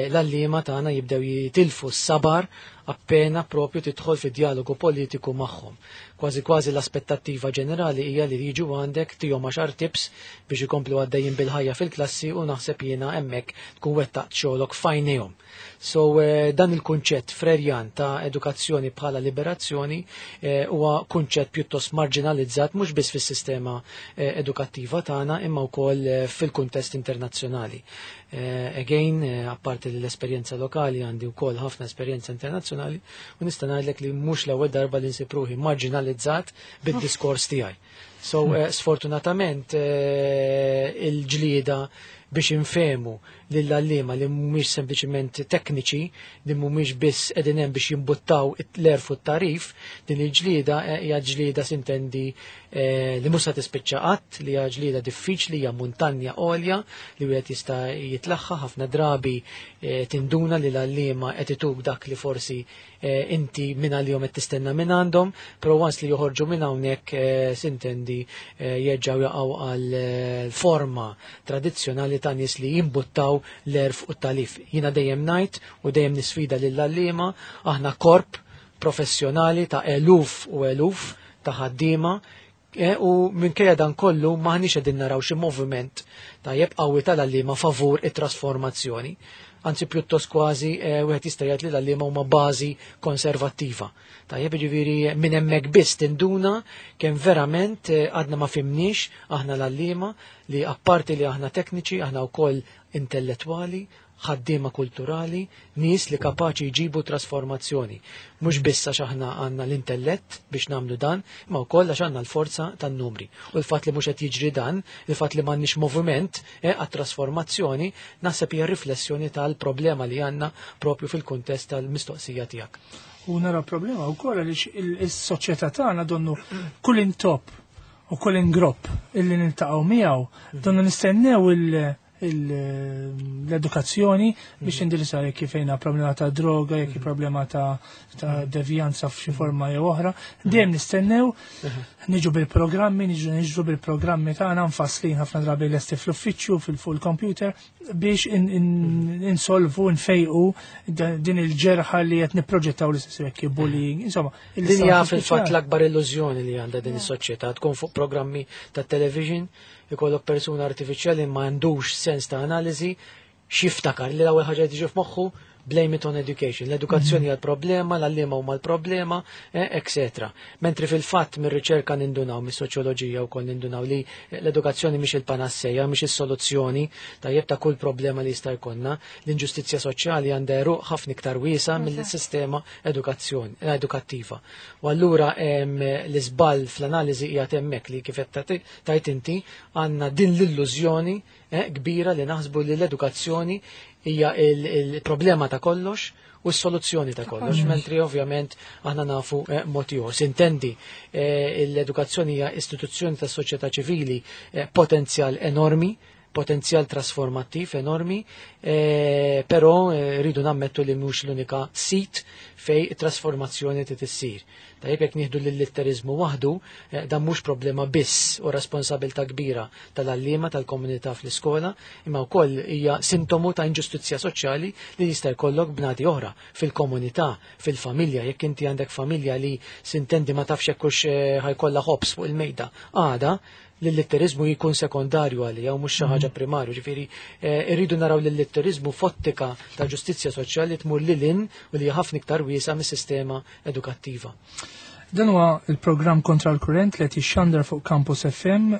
l-għalliema tagħna jibdew jitilfu s-sabar appena propju tidħol fi dialogu politiku magħhom. Kważi kważi l-aspettattiva ġenerali hija li jiġu għandek tihom 10 tips biex ikomplu għaddejjin bil-ħajja fil-klassi u naħseb jiena hemmhekk tkun wettaqt xogħlok f'għajnejhom. So dan il-kunċett Frerjan ta' edukazzjoni bħala liberazzjoni huwa kunċett pjuttost marginalizzat mhux biss fis-sistema edukattiva tagħna imma wkoll fil-kuntest internazzjonali. Again, apparti l-esperjenza lokali għandi wkoll ħafna esperjenza internazzjonali u nista' ngħidlek li mhux l-ewwel darba li nsib ruħi marginalizzat bid-diskors tiegħi. So sfortunatament il-ġlieda biex infehmu lill-għalliema li mhumiex sempliċement tekniċi, li mhumiex biss qegħdin hemm biex jimbuttaw l-għerf u t-tagħrif, din il-ġlieda hija ġlieda sintendi li mhux se tispiċċa qatt, li hija ġlieda diffiċli, hija muntanja għolja li wieħed jista' jitlaħħa ħafna drabi tinduna li l-għalliema qed ituk dak li forsi inti minn għalihom qed tistenna minn għandhom, però once li joħorġu minn hawnhekk sintendi jerġgħu jaqgħu għal forma tradizzjonali ta' nies li jimbuttaw l-għerf u t-tagħrif. Jiena dejjem ngħid u dejjem nisfida lill-għalliema, aħna korp professjonali ta' eluf u eluf ta' ħaddiema u minkejja dan kollu maħniex qegħdin naraw xi moviment tajjeb qawwi tal-għalliema favur it-trasformazzjoni. Anzi pjuttost kważi wieħed jista' jgħid li l-għalliema huma bażi konservattiva. Tajjeb, jiġifieri minn hemmhekk biss tinduna kemm verament għadna ma fimniex aħna l-għalliema li apparti li aħna tekniċi, aħna wkoll intellettwali, ħaddiema kulturali, nies li kapaċi jġibu trasformazzjoni. Mhux biss għax aħna għandna l-intellett biex nagħmlu dan, imma wkoll għax għandna l-forza tan-numri. U l-fatt li mhux qed jiġri dan, il-fatt li m'għandniex moviment għat-trasformazzjoni, naħseb hija riflessjoni tal-problema li għandna propju fil-kuntest tal-mistoqsija tiegħek. U nara problema wkoll għaliex is-soċjetà tagħna donnu kull intop u kull ingropp illi niltaqgħu miegħu, donnu nistennew l-edukazzjoni biex indirizzare jekk fejna problema ta' droga, jekk problema ta' devjanza f'xi forma jew oħra. Dejjem nistennew niġu bil-programmi, niġu bil-programmi tagħna mfasslin ħafna drabi lesti fl-uffiċċju, fuq il-computer biex insolvu, nfejqu din il-ġerħa li qed nipproġettaw li se jekk bullying, insomma. Din hija fil-fatt l-akbar illużjoni li għandha din is-soċjetà, tkun fuq programmi ta' television, ikollok persuna artifiċjali ma għandux sens ta' analiżi, x'jiftakar li l-ewwel ħaġa tiġi f'moħħu blame it on education. L-edukazzjoni hija l-problema, l-għalliema huma l-problema, et cetera. Mentri fil-fatt mir-riċerka nindunaw, mis-soċjoloġija wkoll nindunaw li l-edukazzjoni mhix il-panasseja, mhix is-soluzzjoni tajjeb ta' kull problema li jista' jkollna. L-inġustizzja soċjali għandha għeruq ħafna iktar wiesa mill-sistema edukattiva. U allura l-iżball fl-analiżi hija hemmhekk li kif qed tajt inti għandna din l-illużjoni kbira li naħsbu li l-edukazzjoni hija il-problema ta' kollox u s-soluzzjoni ta' kollox, mentri ovvjament aħna nafu mod ieħor. Sintendi, l-edukazzjoni hija istituzzjoni tas soċjetà ċivili, potenzjal enormi, potenzjal trasformattiv enormi, però rridu nammettu li mhux l-unika sit fej trasformazzjoni trid issir. Tajjeb, jekk nieħdu lill-litteriżmu waħdu, dan mhux problema biss u responsabilità kbira tal-għalliema tal-komunità fl-iskola, imma wkoll hija sintomu ta' inġustizzja soċjali li jista' jkollok bnadi oħra fil-komunità, fil-familja. Jekk inti għandek familja li sintendi ma tafx jekk hux ħa jkollha ħobż fuq il-mejda għada, l-litterizmu jkun sekondarju għalija u mhux xi ħaġa primarju. Ġifieri irridu naraw l-litterizmu f'ottika ta' ġustizzja soċjali tmur lil hinn u li ħafna iktar wiesa mis-sistema edukattiva. Dan huwa il-programm Kontra l-Kurrent li qed jixxandar fuq Campus FM,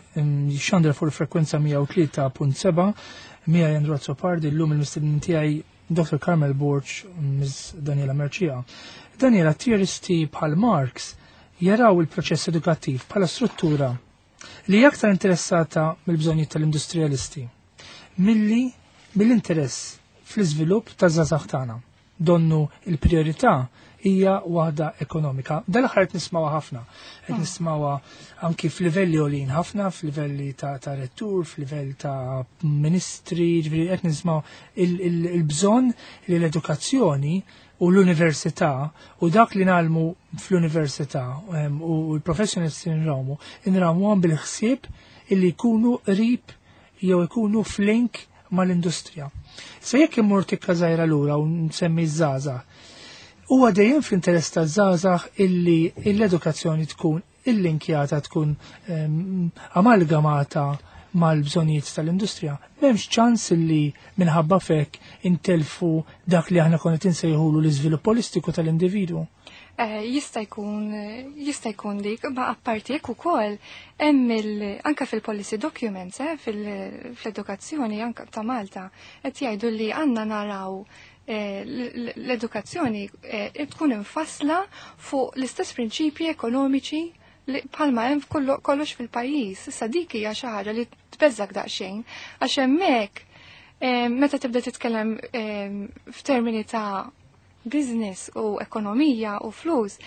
jixxandar fuq il-frekwenza 103.7, miegħi Andrew Azzopardi, llum il-mistednin tiegħi Dr. Carmel Borg, Ms. Daniela Mercieca. Daniela, teoristi bħal Marx jaraw il-proċess edukattiv bħala struttura li aktar interessata mill-bżonnijiet tal-industrialisti milli mill-interess fl-iżvilupp taż-żgħażagħ tagħna. Donnu il-priorità hija waħda ekonomika. Dal-aħħar qed nismawha ħafna. Qed nismawha anki f'livelli għolin ħafna, f'livelli ta' rettur, f'livell ta' ministri, ġifieri qed nismaw il-bżonn li l-edukazzjoni u l-università u dak li ngħallmu fl-università u l-professjonisti nrawmu għam bil-ħsieb illi jkunu qrib jew ikunu f'link mal-industrija. Se jekk immur tikka żgħira lura u nsemmi ż-żgħażagħ, huwa dejjem fl-interess taż-żgħażagħ illi l-edukazzjoni tkun illinkjata, tkun amalgamata mal-bżonijiet tal-industrija. M'hemmx ċans li minħabba fek intelfu dak li aħna konna tinsejħulu l-iżvilupp holistiku tal-individwu. Jista' jkun dik, ma apparti jekk ukoll hemm anka fil-policy documents, fl-edukazzjoni anka ta' Malta, qed jgħidu li għandna naraw l-edukazzjoni tkun infassla fuq l-istess prinċipji ekonomiċi li bħalma hemm kollox fil-pajjiż. Issa dik hija xi ħaġa li tbeżżak daqsxejn, għax hemmhekk meta tibda titkellem f'termini ta' business u ekonomija u flus,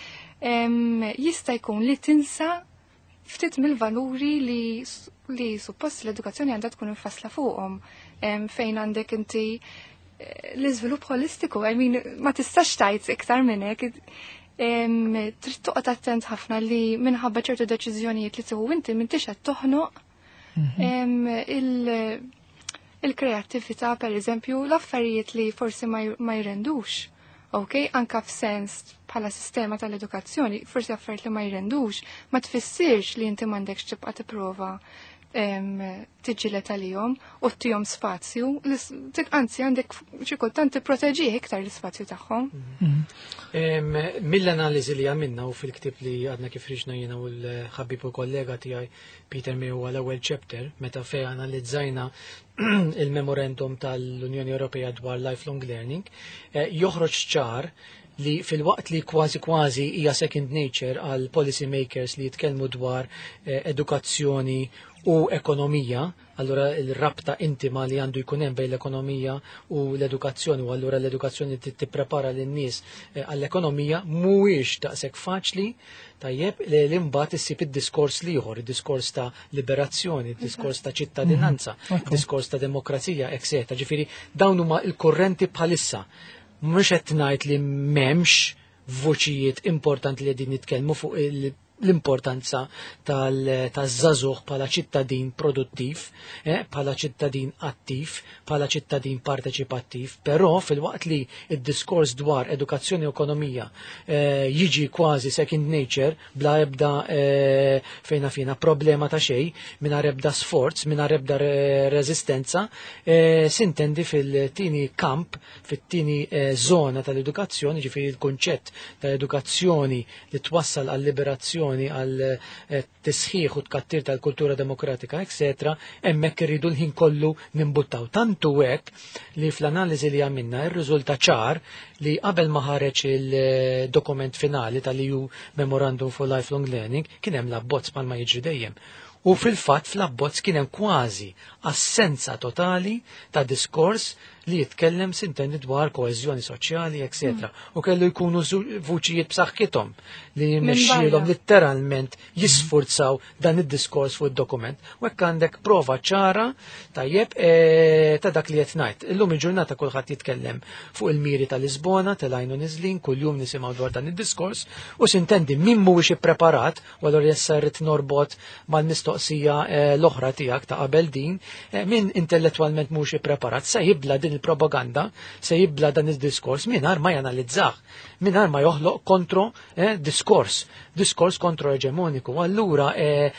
jista' jkun li tinsa ftit mill-valuri li suppost l-edukazzjoni għandha tkun infassla fuqhom, fejn għandek inti l-iżvilupp holistiku, I mean, ma tistax tgħid iktar minn hekk. Trid toqgħod attent ħafna li minħabba ċertu deċiżjonijiet li tieħu inti m'intix qed toħnoq il-kreattività, per eżempju, l-affarijiet li forsi ma jrendux. Ok, anka f'sens bħala sistema tal-edukazzjoni, forsi affarijiet li ma jrendux, ma tfissirx li inti m'għandekx tibqa' tipprova tiġġieled għalihom u ttihom spazju, anzi għandek xi kultant tipproteġih iktar l-ispazju tagħhom. Mill-analiżi li għamilna u fil-ktib li għadna kif ħriġna jiena u l-ħabib u kollega tiegħi Peter May huwa l-ewwel chapter meta fej analizzajna il-memorandum tal-Unjoni Ewropea dwar lifelong learning, joħroġ ċar li fil-waqt li kważi kważi hija second nature għal policy makers li jitkellmu dwar edukazzjoni u ekonomija, allura il-rabta intima li għandu jkun hemm bejn l-ekonomija u l-edukazzjoni, u allura l-edukazzjoni tipprepara lin-nies għall-ekonomija, mhuwiex daqshekk faċli tajjeb li l-imbagħad issib id-diskors l-ieħor, id-diskors ta' liberazzjoni, id-diskors ta' ċittadinanza, id-diskors ta' demokrazija, etc. Ġifieri dawn huma l-kurrenti bħalissa. Mhux qed ngħid li m'hemmx voċijiet importanti li qegħdin nitkellmu fuq l-importanza taż-żagħżugħ bħala ċittadin produttiv, bħala ċittadin attiv, bħala ċittadin parteċipattiv, però fil-waqt li id-diskors dwar edukazzjoni u ekonomija jiġi kważi second nature, bla ebda fejna fina problema ta' xejn, mingħajr ebda sforz, mingħajr ebda reżistenza, sintendi fil-tieni kamp, fit-tieni zona tal-edukazzjoni, ġifieri il-kunċett tal-edukazzjoni li twassal għall-liberazzjoni, għal tisħiħ u tkattir tal-kultura demokratika, etc., hemmhekk irridu l-ħin kollu nimbuttaw. Tantu hekk li fl-analiżi li għamilna ir-riżulta ċar li qabel ma ħareġ il-dokument finali tal-EU Memorandum for Lifelong Learning kien hemm l-abbozz bħalma jiġri dejjem. U fil-fatt fl-abbozz kien hemm kważi assenza totali ta' diskors li jitkellem sintendi dwar koeżjoni soċjali, etc. U kellu jkunu vuċijiet b'saħħithom li jirnexxielhom litteralment jisfurzaw dan id-diskors fuq id-dokument. U hekk għandek prova ċara tajjeb ta' dak li qed ngħid. Illum il-ġurnata kulħadd jitkellem fuq il-miri ta' Lisbona, telgħin u niżlin, kuljum nisimgħu dwar dan id-diskors u sintendi min mhuwiex ippreparat, u allura issa rrid norbot mal-mistoqsija l-oħra tiegħek ta' qabel din, min intellettwalment mhuwiex ippreparat se jibla din il-propaganda, se jibla dan id-diskors mingħajr ma janalizzah, mingħajr ma joħloq kontro diskors, diskors kontro-eġemoniku. Allura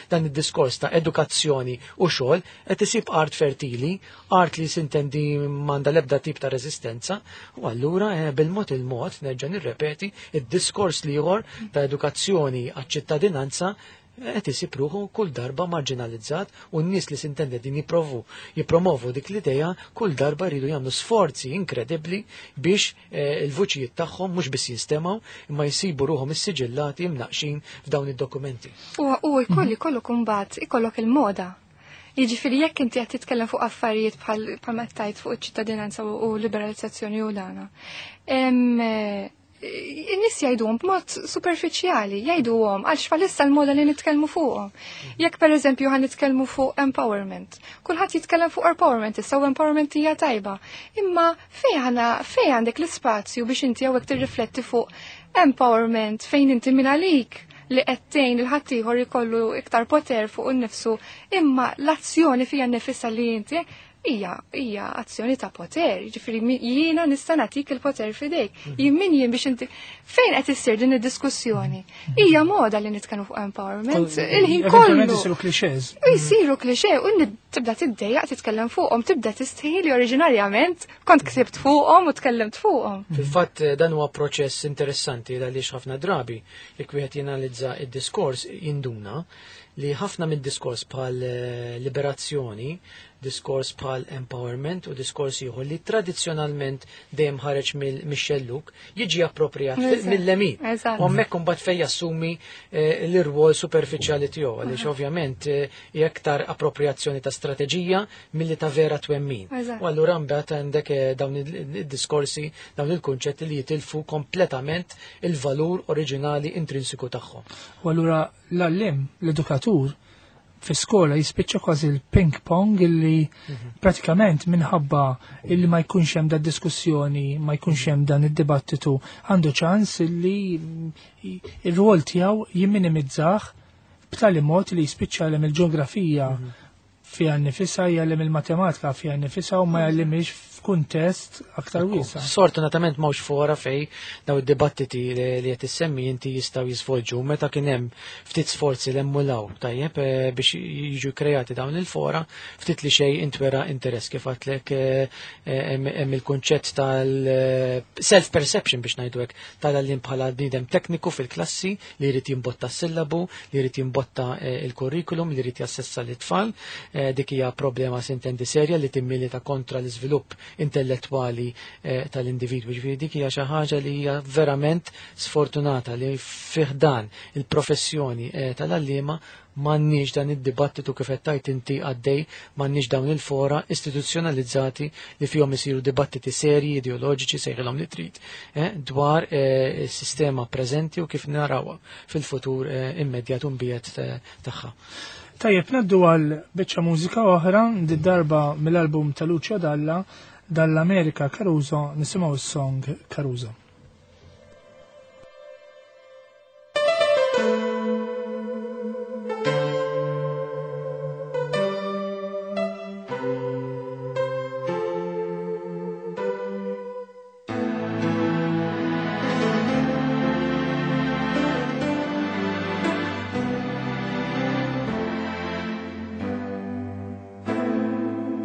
dan id-diskors ta' edukazzjoni u xogħol qed isib art fertili, art li sintendi m'għandha l-ebda tip ta' reżistenza, u allura bil-mod il-mod nerġa' nirrepeti id-diskors l-ieħor ta' edukazzjoni għaċ-ċittadinanza qed isib ruħu kull darba marginalizzat, u n-nies li sintendi din jippromovu dik l-idea kull darba jridu jagħmlu sforzi inkredibbli biex il-vuċijiet tagħhom mhux biss jinstemgħu imma jsibu ruħhom issiġillati imnaqxin f'dawn id-dokumenti. U jkollok imbagħad ikollok il-moda. Jiġifieri jekk inti qed titkellem fuq affarijiet bħal ma tajt fuq iċ-ċittadinanza u liberalizzazzjoni u dana. In-nies jgħiduhom b'mod superfiċjali, jgħiduhom għalx bħalissa l-moda li nitkellmu fuqhom. Jekk pereżempju ħan nitkellmu fuq empowerment, kulħadd jitkellem fuq empowerment, issa u empowerment hija tajba. Imma fejn għandek l-ispazju biex inti hawnhekk tirrifletti fuq empowerment fejn inti min għalik li qed tgħin il ħaddieħor ikollu iktar poter fuq innifsu, imma l-azzjoni fija nnifisha li inti hija azzjoni ta' poter, jiġifieri jiena nista' nagħtik il-poter f'idejk. Jien min jien biex inti fejn qed issir din id-diskussjoni? Hija moda li nitkellmu fuq empowerment, il-ħin kollu. Eventualment isiru clichés. U jsiru cliché u tibda tiddejjaq titkellem fuqhom, tibda tistħi li oriġinarjament kont ksibt fuqhom u tkellimt fuqhom. Fil-fatt dan huwa proċess interessanti għaliex ħafna drabi jekk wieħed jenalizza id-diskors jinduna li ħafna mid-diskors bħal liberazzjoni, diskors bħal empowerment u diskors ieħor li tradizzjonalment dejjem ħareġ mix-xelluk jiġi appropriat mill-lemin. U hemmhekk imbagħad fejn jassumi l-irwol superfiċjali tiegħu, għaliex ovvjament hija aktar appropriazzjoni ta' strateġija milli ta' vera twemmin. U allura mbagħad għandek dawn id-diskorsi, dawn il-kunċetti li jitilfu kompletament il-valur oriġinali intrinsiku tagħhom. U allura l-għallim, l-edukatur, fi skola jispiċċa kważi l-ping pong illi pratikament minħabba illi ma jkunx hemm da diskussjoni, ma jkunx hemm dan id-dibattitu, għandu ċans illi ir-rwol tiegħu jimminimizzah b'tali mod li jispiċċa jgħallem il-ġeografija fiha nnifisha, jgħallem il-matematika fiha nnifisha u ma jgħallimx f'kuntest aktar wiesa'. Sfortunatament m'hawnx fora fej daw id-dibattiti li qed issemmi inti jistgħu jisvolġu meta kien hemm ftit sforzi li emmulaw tajjeb biex jiġu kreati dawn il-fora, ftit li xejn intwera interess kif għadtlek hemm il-kunċett tal-self-perception biex ngħidu hekk tal-għalliem bħala bniedem tekniku fil-klassi li jrid jimbotta s-sillabu, li jrid jimbotta il-kurrikulum, li jrid jassessa l-itfal. Dik hija problema sintendi serja li timmilita kontra l-iżvilupp intellettwali tal-individwu. Ġifieri dik hija xi ħaġa li hija verament sfortunata li fih dan il-professjoni tal-għalliema m'għandniex dan id-dibattitu kif qed tgħid inti għaddej, m'għandniex dawn il-fora istituzzjonalizzati li fihom isiru dibattiti serji, ideoloġiċi, sejħilhom li trid, dwar is-sistema preżenti u kif narawha fil-futur immedjat u mbiegħed tagħha. Tajjeb, naddu għal biċċa mużika oħra, di darba mill-album ta' Lucio Dalla, dall-Amerika Caruso, nisimgħu s-song Caruso.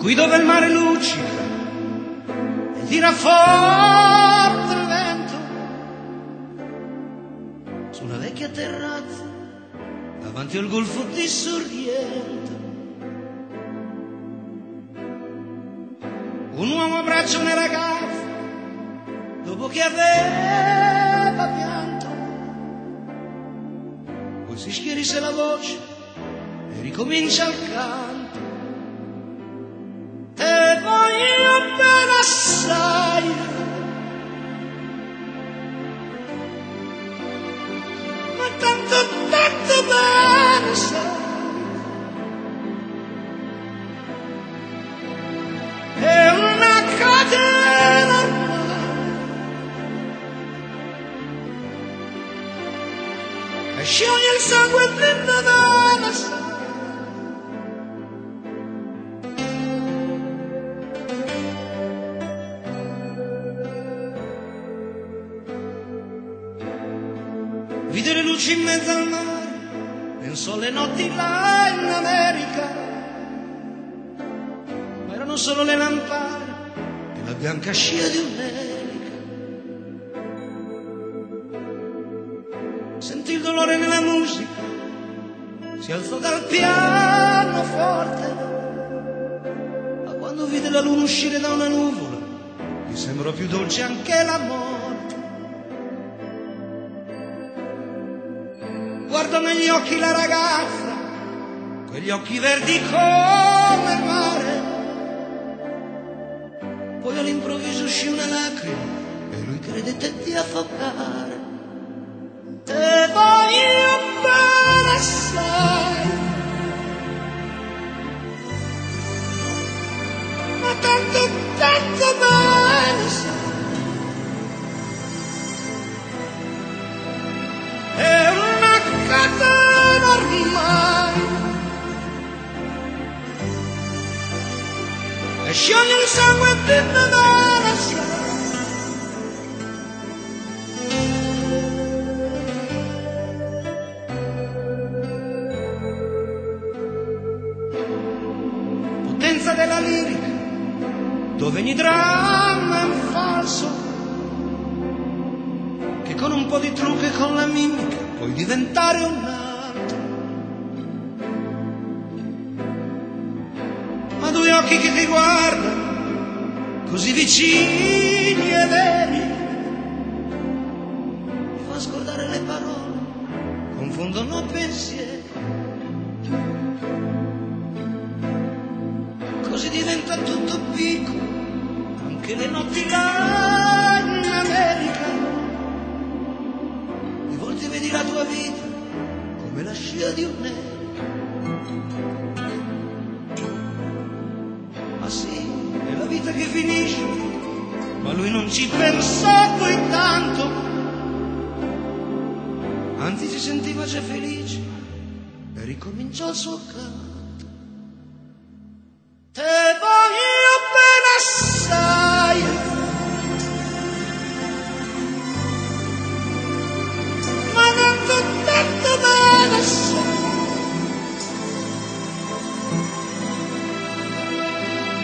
Qui dove il mare luccica e tira forte il vento, su una vecchia terrazza davanti al golfo di Sorrento, un uomo abbraccia una ragazza dopo che aveva pianto, poi si schierisse la voce e ricomincia il canto. Te voglio bene assai, ma tanto, tanto bene sai. È una catena ormai e scioglie il sangue dentro la sai. Vide le luci in mezzo al mare, pensò alle notti là in America, ma erano solo le lampade e la bianca scia di un'elica. Sentì il dolore nella musica, si alzò dal pianoforte, ma quando vide la luna uscire da una nuvola, gli sembrò più dolce anche la morte. Guardo negli occhi la ragazza, quegli occhi verdi come il mare. Poi all'improvviso uscì una lacrima e lui credette di affogare. Te voglio bene assai, ma tanto, tanto bene sai. È una catena ormai e scioglie il sangue dentro la sai. Potenza della lirica, dove ogni dramma è un falso, che con un po' di trucco e con la mimica puoi diventare un altro. Ma due occhi che ti guardano, così vicini e veri, mi fa scordare le parole, confondono pensieri. Così diventa tutto piccolo, anche le notti là in America. Di volte vedi la tua vita come la scia di un'elica. Ma sì, è la vita che finisce, ma lui non ci pensò poi tanto. Anzi, si sentiva già felice e ricominciò il suo canto. Te voglio bene assai, ma tanto, tanto bene assai.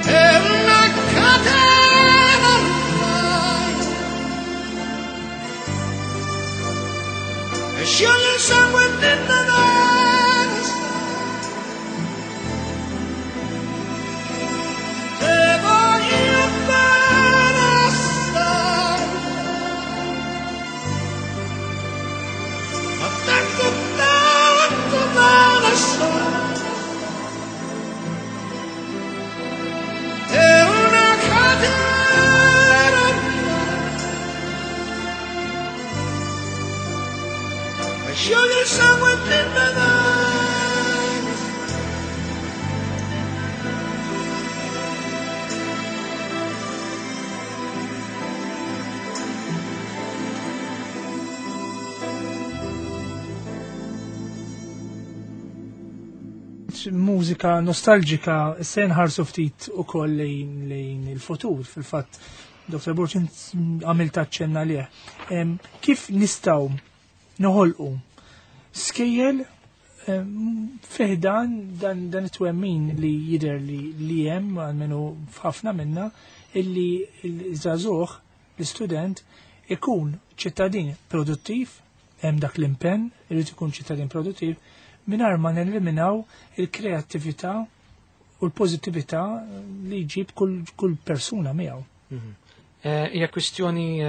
È una catena ormai e scioglie il sangue dentro la sai. Te voglio bene assai, ma tanto, tanto bene assai. È una catena ormai e scioglie il sangue dentro la. Mużika nostalġika se nħarsu ftit ukoll lejn il-futur. Fil-fatt, Dr. Borg, għamilt aċċenna lih. Kif nistgħu noħolqu skejjel fih dan it-twemmin li jidher li hemm għalmenu f'ħafna minna illi l-żagħżugħ, l-istudent, ikun ċittadin produttiv, hemm dak l-impenn, irid ikun ċittadin produttiv, mingħajr ma neliminaw il-kreattività u l-pożittività li jġib kull persuna miegħu. Hija kwistjoni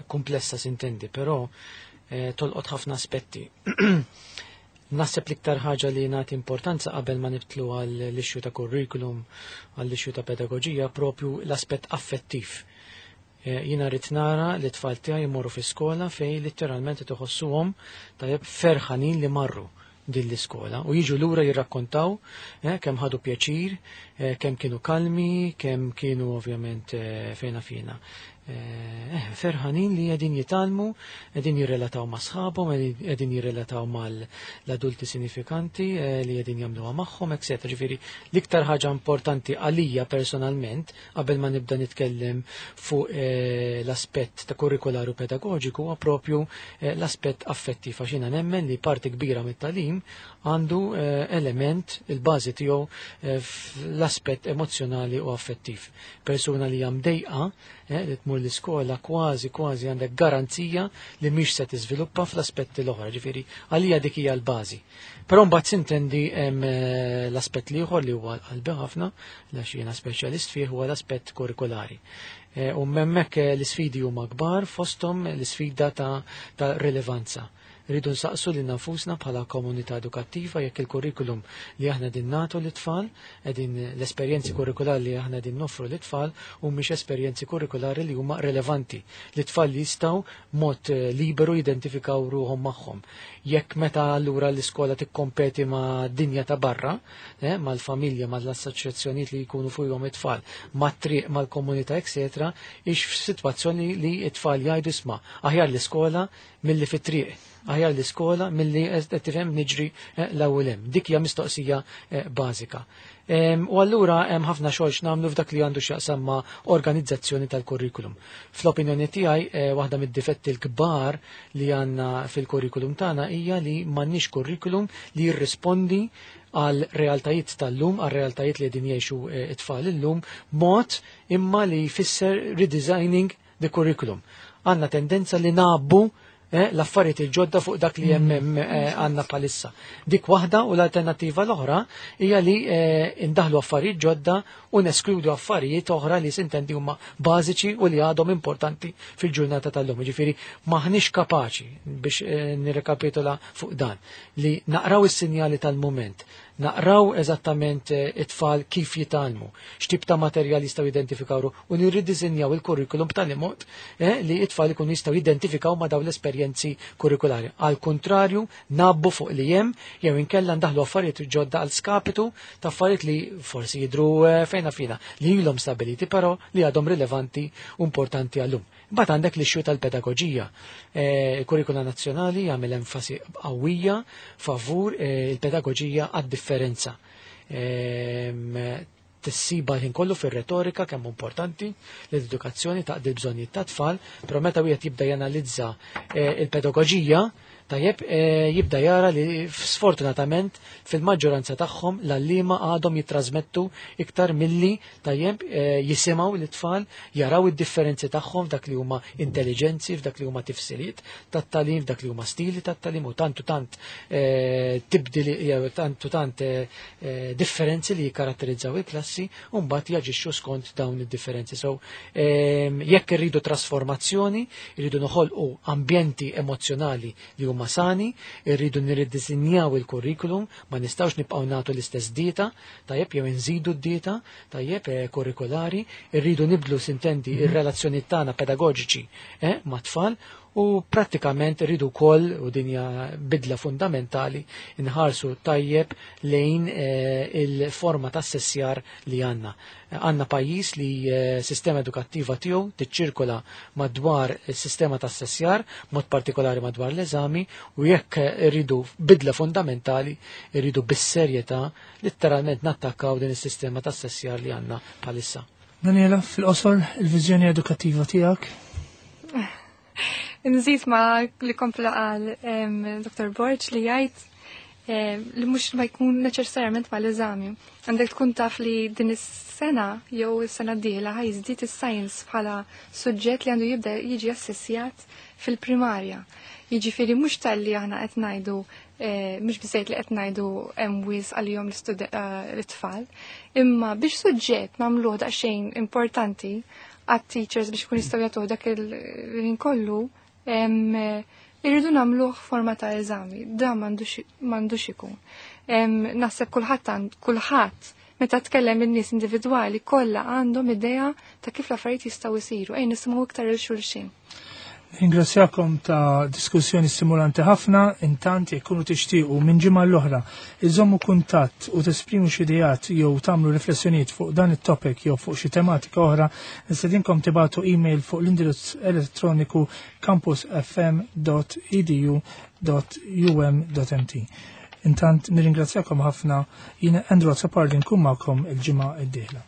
komplessa sintendi, però tolqot ħafna aspetti. Naħseb l-iktar ħaġa li nagħti importanza qabel ma nibtlu għall-issue ta' curriculum, għall-issue ta' pedagoġija, propju l-aspett affettiv. Jiena rrid nara li t-tfal tiegħi jmorru fi skola fejn litteralment iħossuhom tajjeb ferħanin li marru din l-iskola u jiġu lura jirrakkontaw kemm ħadu pjaċir, kemm kienu kalmi, kemm kienu ovvjament fejna fina. Ferħanin li qegħdin jitgħallmu, qegħdin jirrelataw ma' sħabhom, qegħdin jirrelataw mal-adulti sinifikanti li qegħdin jagħmluha magħhom, eccetera. Ġifieri l-iktar ħaġa importanti għalija personalment qabel ma nibda nitkellem fuq l-aspett ta' kurrikulari u pedagoġiku huwa propju l-aspett affettiv, għax jiena nemmen li parti kbira mit-tagħlim għandu element il-bażi tiegħu fl-aspett emozjonali u affettiv. Persuna li hija mdejqa li tmur l-iskola kważi kważi għandek garanzija li mhix se tiżviluppa fl-aspetti l-oħra, ġifieri għalija dik hija l-bażi. Però mbagħad sintendi hemm l-aspett l-ieħor li huwa qalbi ħafna, għax jiena speċjalist fih, huwa l-aspett kurrikulari. U hemmhekk l-isfidi huma kbar, fosthom l-isfida ta' rilevanza. Rridu nsaqsu lil nafusna bħala komunità edukattiva jekk il-kurrikulum li aħna din nagħtu lit-tfal, qegħdin l-esperjenzi kurrikulari li aħna din noffru lit-tfal u mhix esperjenzi kurrikulari li huma relevanti. L-tfal li jistgħu mod liberu jidentifikaw ruhom magħhom. Jekk meta allura l-iskola tikkompeti ma' dinja ta' barra, mal-familja, mal-assoċjazzjonijiet li jkunu fuqhom it-tfal, mat-triq, mal-komunità, eccetera, ix f'sitwazzjoni li t-tfal jgħidu isma' aħjar l-iskola milli fit-triq, aħjar l-iskola milli qed tifhem niġri l-ewwel hemm. Dik hija mistoqsija bażika. U allura hemm ħafna xogħol x'nagħmlu f'dak li għandu x'jaqsam ma' organizzazzjoni tal-kurrikulum. Fl-opinjoni tiegħi waħda mid-difetti l-kbar li għandna fil-kurrikulum tagħna hija li m'għandniex kurrikulum li jirrispondi għal realtajiet tal-lum, għal realtajiet li qegħdin jgħixu it-tfal illum, mod imma li jfisser redesigning the curriculum. Għandna tendenza li nabbu l-affarijiet il-ġodda fuq dak li hemm għandna bħalissa. Dik waħda, u l-alternattiva l-oħra hija li indaħlu affarijiet ġodda u neskludu affarijiet oħra li sintendi huma bażiċi u li għadhom importanti fil-ġurnata tal-lum. Ġifieri maħniex kapaċi, biex nirrekapitola fuq dan, li naqraw is-sinjali tal-mument, naqraw eżattament it-tfal kif jitgħallmu, x'tip ta' materjal jistgħu jidentifikaw u nirridisinjaw il-kurrikulum b'tali mod li it-tfal ikunu jistgħu jidentifikaw ma' dawn l-esperjenzi kurrikulari. Għal kontrarju, nabbu fuq li hemm jew inkella ndaħlu affarijiet ġodda għal skapitu ta' affarijiet li forsi jidru fejna fina li ilhom stabiliti però li għadhom rilevanti u importanti għallum. Mbagħad għandek l-issue tal-pedagoġija. Il-kurrikula nazzjonali jagħmel enfasi qawwija favur il-pedagoġija għad-differenza. Tissiba l-ħin kollu fir-retorika kemm importanti l-edukazzjoni taqdi l-bżonnijiet tat-tfal, però meta wieħed jibda janalizza il-pedagoġija, tajjeb, jibda jara li sfortunatament fil-maġġoranza tagħhom l-għalliema għadhom jittrażmettu iktar milli tajjeb jisimgħu l-tfal, jaraw id-differenzi tagħhom f'dak li huma intelligenzi, f'dak li huma tifsiriet tat-tagħlim, f'dak li huma stili tat-tagħlim u tantu tant tibdili jew tantu tant differenzi li jikkaratterizzaw il-klassi u mbagħad jaġixxu skont dawn id-differenzi. So jekk irridu trasformazzjoni, irridu noħolqu ambjenti emozjonali li huma sani, irridu nirridisinjaw il-kurrikulum, ma nistgħux nibqgħu nagħtu l-istess dieta, tajjeb, jew inżidu d-dieta, tajjeb, kurrikulari, irridu nibdlu sintendi ir-relazzjoni tagħna pedagoġiċi mat-tfal, u prattikament irridu wkoll, u din hija bidla fundamentali, inħarsu tajjeb lejn il-forma ta' sessjar li għandna. Għandna pajjiż li sistema edukattiva tiegħu tiċċirkola madwar is-sistema ta' sessjar, mod partikolari madwar l-eżami, u jekk irridu bidla fundamentali, irridu bis-serjetà letteralment nattakkaw din is-sistema ta' sessjar li għandna bħalissa. Daniela, fil-qosor, il-viżjoni edukattiva tiegħek? Nżid ma li kompla qal Dr. Borg li jgħid li mhux ma jkun neċessarjament mal-eżami. Għandek tkun taf li din is-sena jew is-sena d-dieħla ħa jiżdied is-science bħala suġġett li għandu jibda jiġi assessjat fil-primarja. Jiġifieri mhux talli aħna qed ngħidu mhux biżejjed li qed ngħidu hemm wisq għalihom l-tfal, imma biex suġġett nagħmluh daqsxejn importanti għat-teachers biex ikun jistgħu jagħtuh dak il-ħin kollu, Irridu nagħmluh forma ta' eżami, dan m'għandux ikun. Naħseb kulħadd kulħadd meta tkellem in-nies individwali kollha għandhom idea ta' kif l-affarijiet jistgħu jsiru, ejn nisimgħu iktar il xulxin. Ringrazzjakom ta' diskussjoni stimulanti ħafna, intant jekk kunu tixtiequ minn ġimgħa l-oħra iżommu kuntatt u tesprimu xi ideat jew tagħmlu riflessjonijiet fuq dan it-topic jew fuq xi tematika oħra, nistedinkom tibatu email fuq l-indirizz elettroniku campusfm.edu.um.mt. Intant nirringrazzjakom ħafna, jiena Andrew Azzopardi nkun magħkom il-ġimgħa d-dieħla.